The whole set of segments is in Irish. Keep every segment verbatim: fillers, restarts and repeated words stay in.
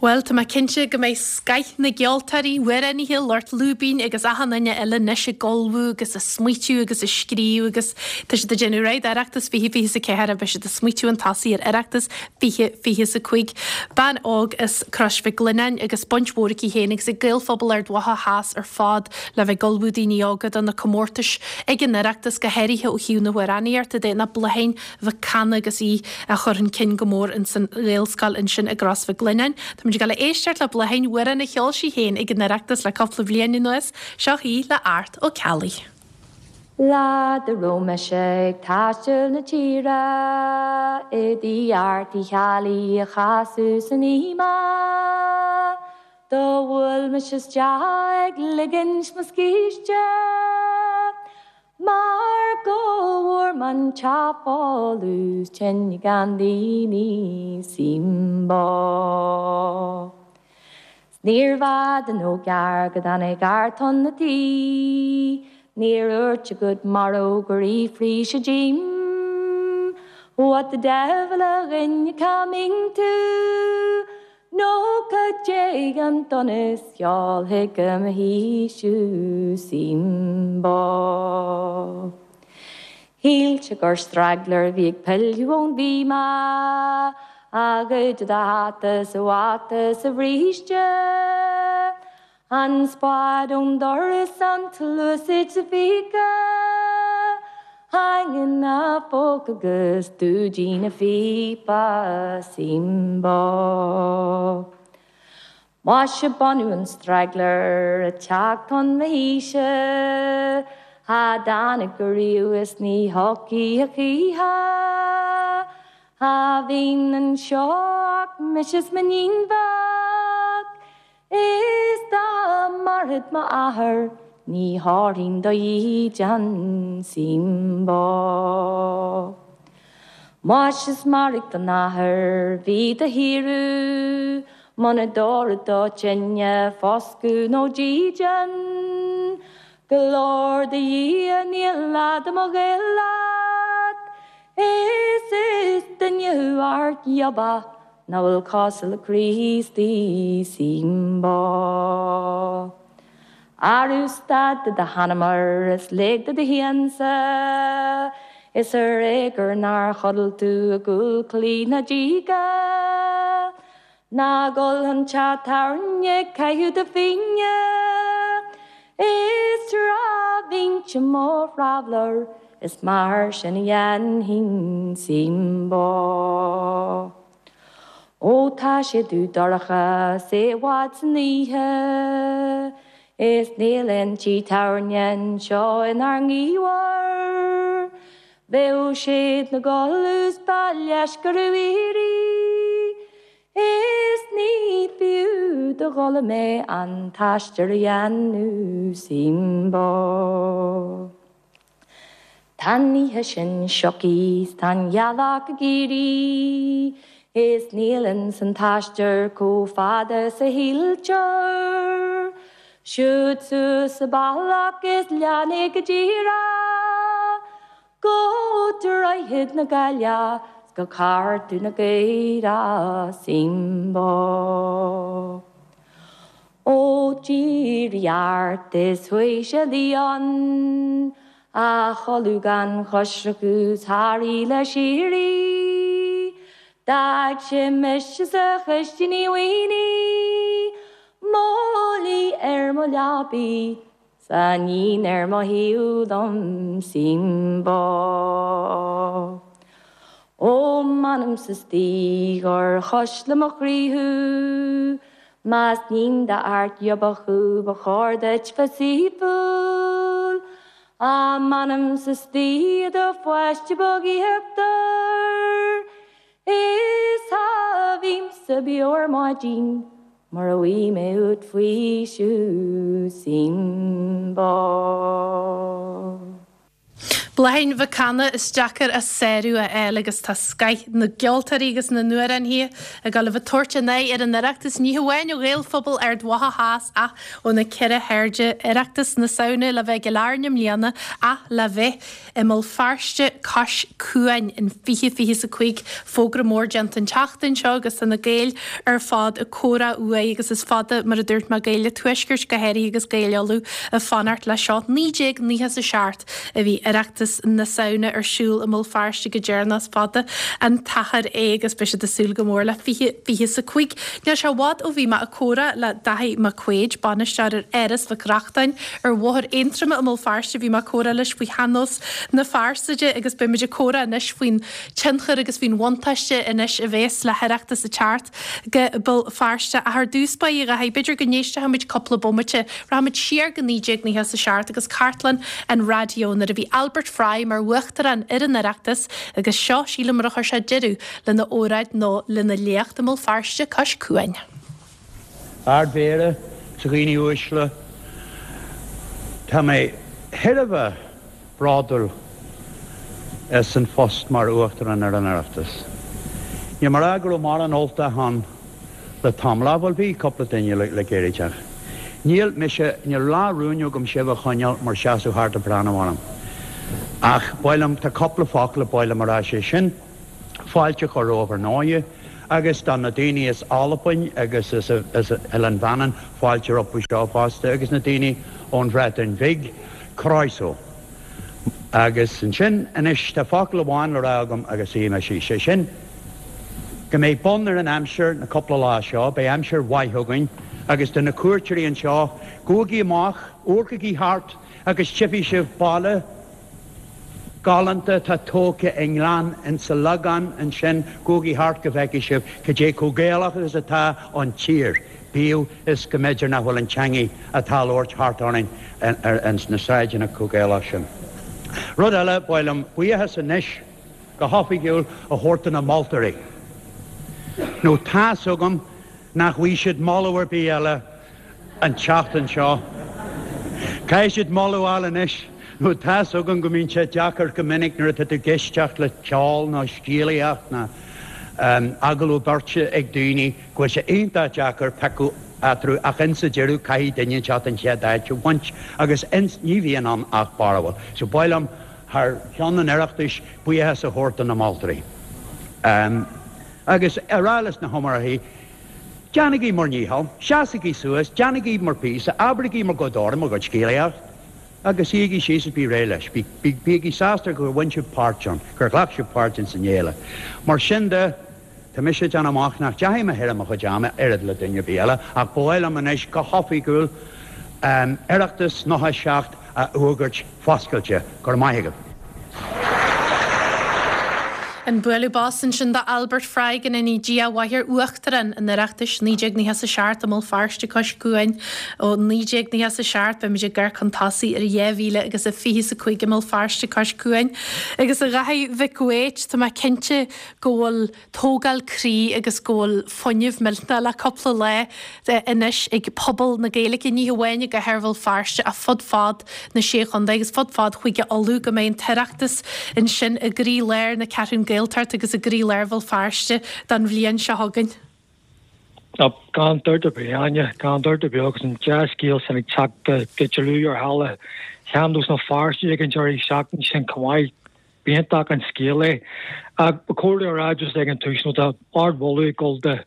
Bhuel, tá mé cinnte go mbeidh scoth na gceoltóirí, amhránaithe, lucht lúibín agus achan duine eile anois ag ullmhú agus ag smaoitiú agus ag scríobh agus tá siad ag déanamh réidh d'Oireachtas fiche fiche is a ceathair beidh siad ag smaoitiú chun tosaigh ar Oireachtas fiche fiche is a cúig. Bean óg as Crois Mhic Lionnáin agus baint mhór aici féin agus ag Gaelphobal Ard Mhacha Theas ar fad le bheith ag ullmhú daoine óga do na comórtais ag an Oireachtas go háirithe ó thaobh na hamhránaíochta de na Bláithín Mhic Cana agus í a chur chun cinn go mór in san Ghaelscoil ansin i gCros Mhic Lionnáin. Tá muid ag dul a éisteacht le Bláithín amhrán a cheol sí féin ag an Oireachtas le cúpla bliain anuas, seo í le Art Ó Ceallaigh. Lá dá raibh mise ag taisteal na tíre i dtigh Airt Uí Cheallaigh a chasadh san oíche Do bhuail mise isteach ag ligint mo scíste Mar go bhfuair m'an teach folamh tinn gan daoine simbo. Níorbh fhada nó gearr go dtáinig Art chun na tí, Níor dhúirt sé good morrow gur fhiafraigh sé díom. What the devil a dhuine cá mbíonn tú? Nó cad é an donas sheol chuig mo thigh thú simbo. Shíl sé gur straggler bhí ag pilleadh ón bhíoma, a gcuid de hata sa bhata sa bhríste. An spád ón doras an tsluasaid sa phíce, Hang na phóca agus dúidín na phíopa simbo. Mhaise b'ionadh an straggler a teacht chun mo thíse, Cha dtáinig ariamh is ní thiocfaidh a choíche. Cha bhíonn anseo ach mise is m'iníon bheag, Is dá mairfeadh m'athair ní thabharfainn do dhídean simbo. Mhaise is mairg don athair bhí do shaothú, Muna dtabharfadh do tine foscadh nó dídean, Glóir do Dhia níl leath de mo ghaol leat, Is is duine thú Art Gioba nach bhfuil cosúil le Críostaí simbo. Arú stad de do sheanamar is lig do do shiansa, Is ar éigean nár chodail tú i gcúl claí na díge. Ná gol an teach tábhairne ag caitheamh do phingne, Is tráth bhínnse mo thraveller, is mar sin a dhéanfainn simbo. Ó tá sé dubh dorcha 's é i bhfad san oíche, Is níl aon tigh tábhairne anseo inár ngaobhar. Bheadh siad 'na gcodladh 's ba leisce orthu éirí, Is ní fiú do dul mé an t-aistear a dhéanamh simbo. Tá an oíche sin sioctha 's tá an ghealach ag éirí, Is níl ins an t-aistear chomh fada is a shíltear. Siúd suas an bealach is lean é go díreach, Go Droichead na Gaillimhe 's go Cartún na Gaoire simbo. Ó d'éirigh Art is chuaigh sé a luí ann, A chodladh gan choisreacan 's thar oíche shíoraí. D'fhág sé mise sa chistin i bhfaoiní, Mo luí ar mo leabaidh 's a iníon ar mo thaobh liom simbo. Ó m'anamsa istigh gur chuisle mo chroí thú, Más níon d'Art Gioba thú ba chóir duit bheith saoithiúil, Á m'anamsa istigh i do pháiste beag íochtar, Is cha bhímsa beo ar maidin mura bhfaighidh mé uait faoiseamh simbo. Bláithín Mhic Cana, is deacair a sárú a fháil agus tá scoith na gceoltóirí agus na n-amhránaithe ag dul a bheith ag tabhairt a n-aghaidh ar an Oireachtas, ní hamháin ó Ghaelphobal Ard Mhacha Theas ach ó na ceithre hairde. Oireachtas na Samhna le bheith i gCill Airne i mbliana ach le bheith i mBéal Feirste cois cuain in fiche fiche is a cúig. Fógra mór déanta an tseachtain seo agus tá na Gaeil ar fad ag comhrá uaidh agus is fada, mar a dúirt mé, Gaeil an Tuaiscirt go háirithe agus Gaeil Uladh ag fanacht leis seo. naoi déag nócha is a seacht a bhí Oireachtas na Samhna ar siúl i mBéal Feirste go deireanach. Is fada an t-achar é agus beidh siad ag súil go mór le fiche fiche is a cúig. Níl sé i bhfad ó bhí mé ag comhrá le Daithí Mac Quaid, bainisteoir ar Áras Mhic Reachtain ar Bhóthar Aontroma i mBéal Feirste. Bhí mé ag comhrá leis faoi shean-nós na fearsaide agus beidh muid ag comhrá anois faoin tionchar agus faoin bhuntáiste anois a bhéas le hOireachtas ag teacht go Béal Feirste. Ach ar dtús báire, a Dhaithí, b'fhéidir go n-éistfidh muid cúpla bomaite, rachaimid siar go naoi déag nócha is a seacht agus cartlann an raidió nuair a bhí Albert Fry mar Uachtarán ar an Oireachtas agus seo, sílim, mar a chuir sé deireadh lena óráid nó lena léacht i mBéal Feirste cois cuain. Ard-Mhéara, 's a dhaoine uaisle, tá mé thar a bheith bródúil as an phost mar Uachtarán ar an Oireachtas. Níl mé ag rá go raibh mórán Ultach ann le tamall, bhuel bhí cúpla duine le gairid ach níl mise, níl lá rúin agam sibh a choinneáil mar seasamh thart ag breathnú orm. Ach ba mhaith liom, tá cúpla focal a ba mhaith liom a rá, sé sin, fáilte a chur romhaibh ar ndóighe, agus do na daoine as Albain agus as Oileán Mhanann, fáilte rompu seo fosta, agus na daoine ón Bhreatain Bhig, Croeso. Agus ansin, anois, tá focal amháin le rá agam agus suífidh mé síos, sé sin, go mbeidh bun ar an aimsir na cúpla lá seo, beidh aimsir mhaith againn, agus do na cuairteoirí anseo, gabhaigí amach, amharcaigí thart agus tchífidh sibh baile galánta atá tógtha i ngleann insa Lagán ansin, gabhaigí thart go bhfeicfidh sibh cad é chomh Gaelach is atá an tír, bíodh is go mb'fhéidir nach bhfuil an teangaidh atá á labhairt thart orainn ins na sráideanna chomh Gaelach sin. Rud eile, ba mhaith liom buíochas anois go hoifigiúil a thabhairt do na moltóirí, nó tá's agam nach bhfaighidh siad moladh ar bith eile an tseachtain seo. Caithfidh siad moladh a fháil anois, nó tá's agam go mbíonn sé deacair go minic nuair atá tú ag éisteacht le ceol nó scéalaíocht nó agallamh beirte ag daoine go bhfuil sé iontach deacair piocadh eatarthu ach insa deireadh caithfidh duine inteacht an chéad áit a bhaint agus ní bhíonn ann ach barúil. So ba mhaith liom thar ceann an Oireachtais buíochas a thabhairt do na moltóirí. Agus a rá leis na hiomaitheoirí, déanaigí bhur ndícheall, seasaigí suas, déanaigí bhur bpíosa, abraigí bhur gcuid amhrán, bhur gcuid scéalaíocht, agus suígí síos is bí réidh leis. Bígí sásta gur bhain sibh páirt ann, gur ghlac sibh páirt ins an fhéile. Mar sin de, tá mise ag déanamh amach nach dteachaigh mé thar mo chuid ama oiread le duine ar bith eile, ach ba mhaith liom anois go hoifigiúil Oireachtas nócha a seacht a fhógairt foscailte. Go raibh maith agaibh. An bualadh bos ansin do Albert Fry, go ndéana Dia a mhaith air, Uachtarán an Oireachtais naoi déag nócha a seacht i mBéal Feirste cois cuain ó naoi déag nócha a seacht. Beimid ag amharc chun tosaigh ar dhá mhíle agus a fiche is a cúig i mBéal Feirste cois cuain. Agus a Dhaithí Mhic Uait, tá mé cinnte go bhfuil tógáil croí agus go bhfuil fuinneamh millteanach le cúpla lá anois ag pobal na Gaeilge, ní hamháin i gcathair Bhéal Feirste ach fud fad na Sé Chontae agus fud fad Chúige Uladh go mbeidh an tOireachtas ansin i gcroílár na Ceathrún Gaeltacht agus i gcroílár Bhéal Feirste don bhliain seo chugainn. Gan dabht ar bith, Áine, gan dabht ar bith agus an dea-scéal sin ag teacht go dlúth ar halla Shean-nós na Feirste ag an deireadh seachtaine sin chomh maith. B'iontach an scéal é. Ach ba chóir a rá just ag an tús nó tá ardmholadh ag dul do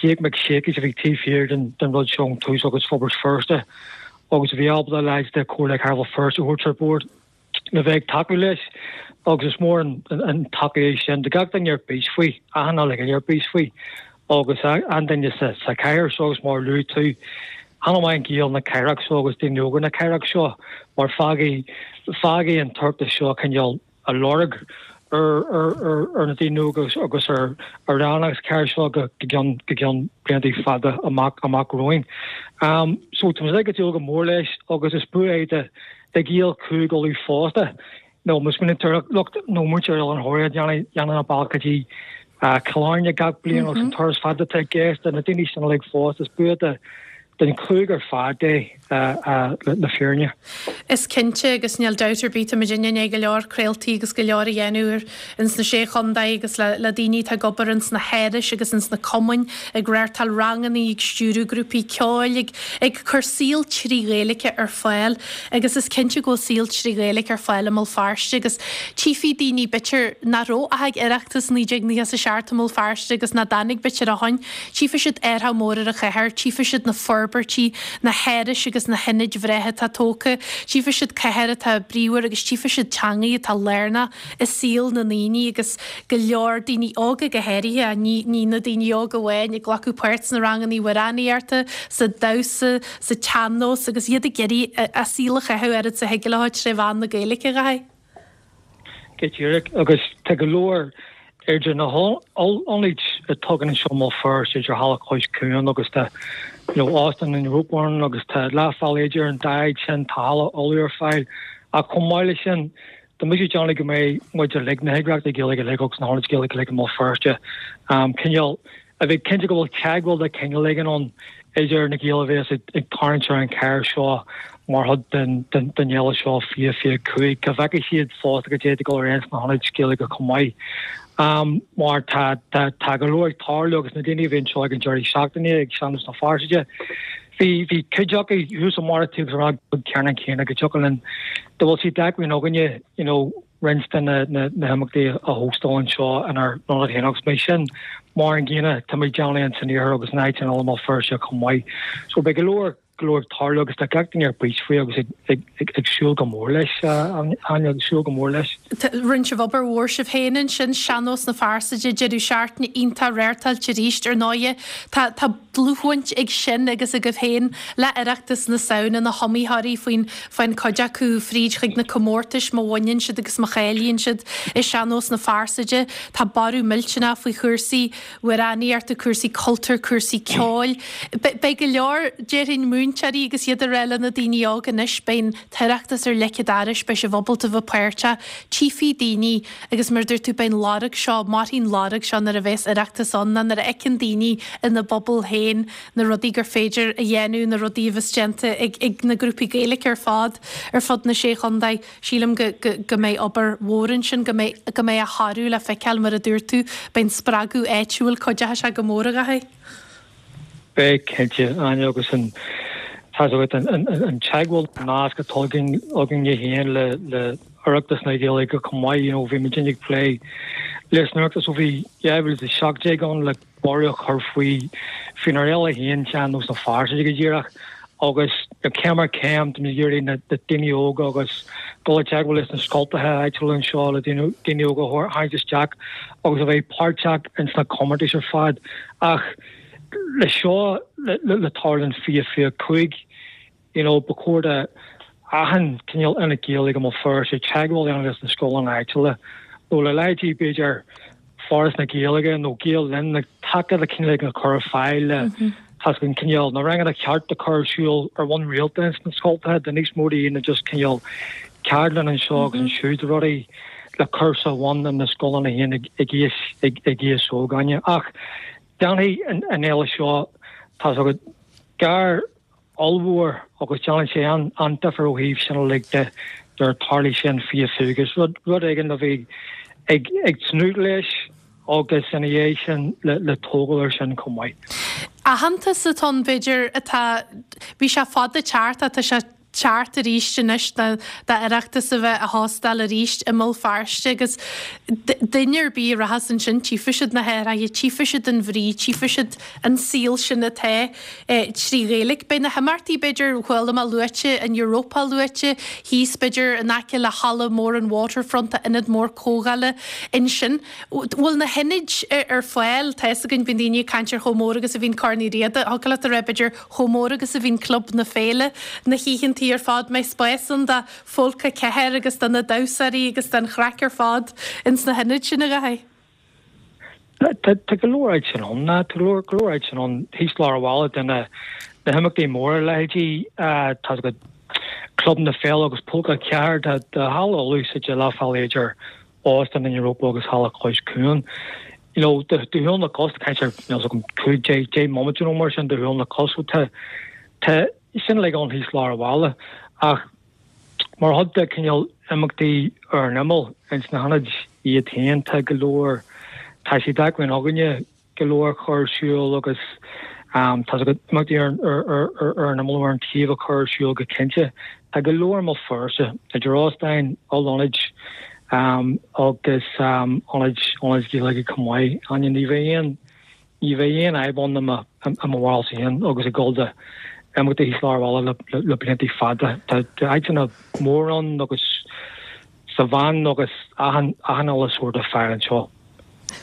Jake Mac Siacais a bhí taobh thiar den den rud seo ón tús agus Forbairt Feirste agus a bhí ábalta leaids de Chomhairle Cathrach Bhéal Feirste a thabhairt ar bord le bheith ag tacú leis agus is mór an taca é sin do gach duine ar bís faoi, achan duine ar bís faoi agus an duine sa sa chathair seo agus mar a luaigh tú, an-mhaith Gaeil na cathrach seo agus daoine óga na cathrach seo mar fágfaidh fágfaidh an tOireachtas seo cineál a lorg ar ar ar na daoine óga agus ar ar an chathair seo go go ceann go ceann blianta fada amach amach romhainn. Um, so tá ag dúil go mór leis agus is bua é de de Ghaeil Chúige Uladh fosta. No mus min lucht nó muintir an Thoraigh déanann an bealach go dtí Cill Airne gach bliain agus an turas fada atá i gceist na daoine sin uilig fosta is bua de den chlúg ar fad é le fírinne. Is cinnte agus níl dabht ar bith tá muid i ndiaidh go leor craoltaí agus go leor a dhéanamh ins na Sé Chontae agus le le daoine atá ag obair ins na hárais agus ins na cumainn ag reáchtáil ranganna ag stiúradh grúpaí ceoil ag ag cur saol trí Ghaeilge ar fáil agus is cinnte go bhfuil saol trí Ghaeilge ar fáil i mBéal Feirste agus tchífidh daoine b'fhéidir nach raibh ach ag Oireachtas naoi déag nócha a seacht i mBéal Feirste agus nach dtáinig b'fhéidir ó shin tchífidh siad athrú mór ar an chathair tchífidh siad na forbairtí, na hárais agus na hionaid bhreátha atá tógtha, tchífidh siad cathair atá bríomhar agus tchífidh siad teangaidh atá lárnach i saol na ndaoine agus go leor daoine óga go háirithe, ní ní na daoine óga amháin, ag glacadh páirt sna ranganna amhránaíochta, sa damhsa, sa tsean-nós agus iad ag iarraidh a saol a chaitheamh oiread is a thig leo tré mheán na Gaeilge, a Dháithí. Go díreach, agus tá go leor idir na hionaid atá againn anseo i mBéal Feirste, idir Halla Cois Cuain agus tá you know, Óstán an Ropeburn agus tá Leath Bhealaigh idir an dá áit sin, tá halla ullamh ar fáil. Ach chomh maith leis sin, tá mise ag déanamh go mbeidh muid uilig, na heagraíochtaí Gaeilge uilig agus na hionaid Gaeilge uilig i mBéal Feirste, um, cineál a bheith cinnte go bhfuil teagmháil de chineál éigin ann idir na Gaeil a bheas ag tarraingt ar an chathair seo mar chuid den fhéile seo fiche fiche cúig, go bhfeicfidh siad fosta go d'fhéadfadh dul ar aon sna hionaid Ghaeilge chomh maith. Mar tá tá go leor ag tarlú agus na daoine a bhí anseo ag an deireadh seachtaine ag Sean-Nós na Fearsaide, bhí bhí cuid acu thuas i mbarr an tí agus a rá go ceannann céanna go dtiocfadh linn dá bhfuil sé d'acmhainn againne you know roinnt de na na himeachtaí a hóstáil anseo inár n-ionad féin agus beidh sin mar an gcéanna tá muid ag déanamh in san iarthar agus in áiteanna eile i mBéal Feirste chomh maith. So beidh go leor go leor ag tarlú agus tá gach duine ar bís faoi agus ag ag ag súil go mór leis, Áine, ag súil go mór leis. Rinne sibh obair mhór sibh féin ansin, Sean-Nós na Fearsaide, deireadh seachtaine iontach reáchtáilte arís ar ndóighe. Tá tá dlúthbhaint ag sin agus agaibh féin le Oireachtas na Samhna, na hiomaitheoirí faoin faoin cuid acu fríd chuig na comórtais má bhaineann siad agus má cháilíonn siad i Sean-Nós na Fearsaide. Tá borradh millteanach faoi chúrsaí amhránaíochta, cúrsaí cultúir, cúrsaí ceoil. Beidh go leor, déarfainn, múinteoirí agus iad ag rá le na daoine óga anois, beidh an tOireachtas ar leic an dorais, beidh sibh ábalta bheith páirteach, tchífidh daoine agus mar a dúirt tú, beidh an lorg seo, mairfidh an lorg seo nuair a bheas Oireachtas ann, ná nuair a fheiceann daoine ina bpobal féin na rudaí gur féidir a dhéanamh, na rudaí a bheas déanta ag ag na grúpaí Gaeilge ar fad ar fud na Sé Chontae. Sílim go go go mbeidh obair mhór ansin, go mbeidh go mbeidh a thoradh le feiceáil mar a dúirt tú, beidh an spreagadh áitiúil, cuideoidh sé go mór, a Dháithí. Beidh, cinnte, Áine, agus an tá a fhios agat, an an teagmháil, an nasc atá againn againne féin le le Oireachtas na Gaeilge chomh maith, you know, bhí muid ag plé leis an Oireachtas ó bhí dhá mhíle is a seacht déag ann le borradh a chur faoi faoinár fhéile féin, Sean-Nós na Fearsaide go díreach, agus céim ar chéim tá muid ag iarraidh na daoine óga agus dul i dteagmháil leis na scoltacha áitiúla anseo le daoine óga a tharraingt isteach agus a bheith páirteach ins na comórtais ar fad. Ach le seo le tarlú in fiche fiche cúig, you know, ba chóir do achan cineál ionad Gaeilge i mBéal Feirste teagmháil a dhéanamh leis na scoileanna áitiúla nó le leithéidí b'fhéidir Foras na Gaeilge nó Gael Linn le taca le cineál éigin a chur ar fáil le tá a fhios agat an cineál na ranganna ceart a chur ar siúl ar bhonn rialta ins na scoltacha do níos mó daoine just cineál ceardlann anseo agus ansiúd rudaí le cur sa bhun in na scoileanna féin ag ag aois ag ag aois óg Áine. Ach déanfaidh an an fhéile seo tá a fhios agat gar ollmhór agus déanann sé an-difear ó thaobh sin uilig de nuair a tarlaíonn sé in fiche fiche agus rud rud éigin a bheith ag ag tnúth leis agus ina dhiaidh sin le le tógáil air sin chomh maith. Aitheantas atá ann b'fhéidir atá bhí sé fada teacht ach tá sé teacht arís anois d'Oireachtas a bheith á hóstáil arís i mBéal Feirste agus duine ar bith a rachas ansin tchífidh siad na hathruithe, tchífidh siad an bhrí, tchífidh siad an saol sin atá trí Ghaeilge. Beidh na himeachtaí b'fhéidir, chuala mé luaite, an Europa luaite thíos b'fhéidir in aice le halla mór an Waterfront, tá ionad mór comhdhála ansin. Bhfuil na hionaid ar fáil? Tá fhios againn, bíonn daoine ag caint ar chomh mór agus a bhíonn Corn Uí Riada. Thiocfadh leat a rá b'fhéidir chomh mór agus a bhíonn Club na Féile na hoícheantaí ar fad. Mbeidh spás ann do Phólca Ceathair agus do na damhsóirí agus don chraic ar fad ins na hionaid sin, a Dháithí? Tá go leor áit sin ann. Tá go leor go leor áit sin ann thíos lár an bhaile do na na himeachtaí móra, leithéidí tá a fhios agat Club na Féile agus Pólca Ceathair. Tá tá halla ullamh suite leath bhealaigh idir Óstán an Europa agus Halla Cois Cuain. You know, de shiúl na gcos, caint ar, níl a fhios agam, cúig, deich, deich mbomaite nó mar sin de shiúl na gcos. So tá, Tá sin uilig ann thíos lár an bhaile ach mar chuid de cineál imeachtaí ar an imeall ins na hionaid iad féin tá go leor tá sé d'acmhainn againne go leor a chur ar siúl agus tá imeachtaí ar ar an imeall ar an taobh a chur ar siúl go cinnte. Tá go leor i mBéal Feirste idir óstáin, ollionaid agus ionaid ionaid Ghaeilge chomh maith. Áine ní bheidh aon ní bheidh aon fhadhb ann i mo i mo bharúil féin agus ag dul do imeachtaí thíos lár an bhaile le le blianta fada. Tá áiteanna mór ann agus sa bhean agus achan achan uile sórt ar fáil anseo.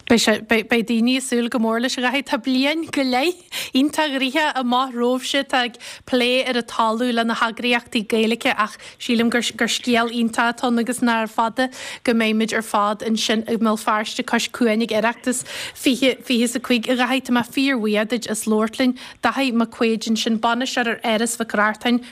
Beidh sé, beidh daoine ag súil go mór leis a Dháithí. Tá bliain go leith iontach gnoitheach amach romhaibhse atá ag plé ar an talamh le na heagraíochtaí Gaeilge ach sílim gur gur scéal iontach atá ann agus nárbh fada go mbeimid ar fad ansin i mBéal Feirste cois cuain ag Oireachtas fiche fiche is a cúig. A Dháithí, tá mé fíorbhuíoch duit as labhairt linn. Dáithí Mac Quaid ansin, bainisteoir ar Áras Mhic Reachtain.